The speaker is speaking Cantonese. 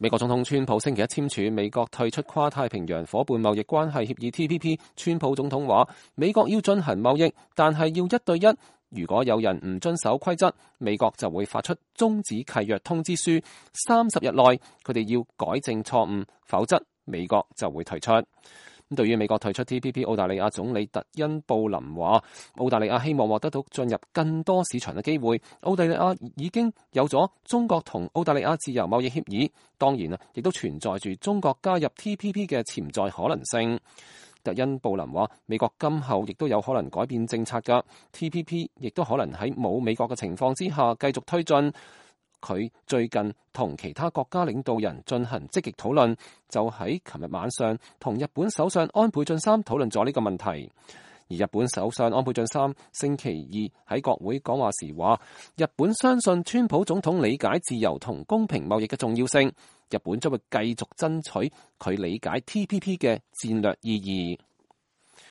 美國總統川普星期一簽署美國退出跨太平洋夥伴貿易關係協議 TPP。川普總統話：美國要進行貿易，但係要1對1。如果有人唔遵守規則，美國就會發出終止契約通知書，30日內佢哋要改正錯誤，否則美國就會退出。對於美國退出 TPP， 澳大利亞總理特恩布林話：澳大利亞希望獲得到進入更多市場嘅機會。澳大利亞已經有咗中國同澳大利亞自由貿易協議，當然亦都存在住中國加入 TPP 嘅潛在可能性。特恩布林話：美國今後亦都有可能改變政策㗎 ，TPP 亦都可能喺冇美國嘅情況之下繼續推進。佢最近同其他國家領導人進行積極討論，就喺琴日晚上同日本首相安倍晉三討論咗呢個問題。而日本首相安倍晉三星期二喺國會講話時話：日本相信川普總統理解自由同公平貿易嘅重要性，日本將會繼續爭取佢理解 TPP 嘅戰略意義。